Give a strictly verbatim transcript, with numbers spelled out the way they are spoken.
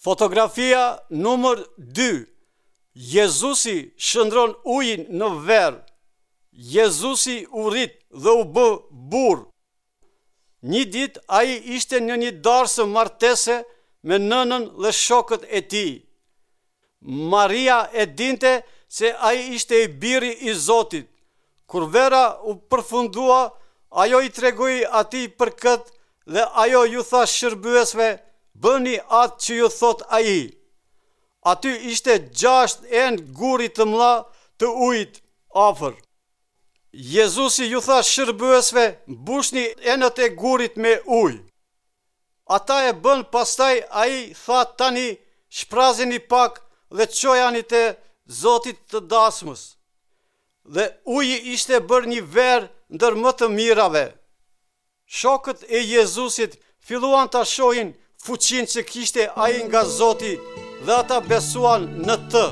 Fotografia numër dy. Jezusi shndërron ujin në verë. Jezusi u rrit dhe u bë burrë. Një ditë ai ishte në një darsëm martese me nënën dhe shokët e tij. Maria e dinte se ai ishte i biri i Zotit. Kur vera u përfundua, ajo i tregoi atij për këtë dhe ajo ju tha shërbyesve, bëni atë që ju thotë ai. Aty ishte gjashtë enë guri të mëdha të ujit afër. Jezusi ju tha shërbyesve, mbushni enët e gurit me ujë. Ata e bënë, pastaj ai tha tani shprazini pak dhe çojani te zotit të dasmës. Dhe uji ishte bërë një verë ndër më të mirave. Shokët e Jezusit filluan ta shohin fuqinë që kishte ai nga Zoti dhe ata besuan në të.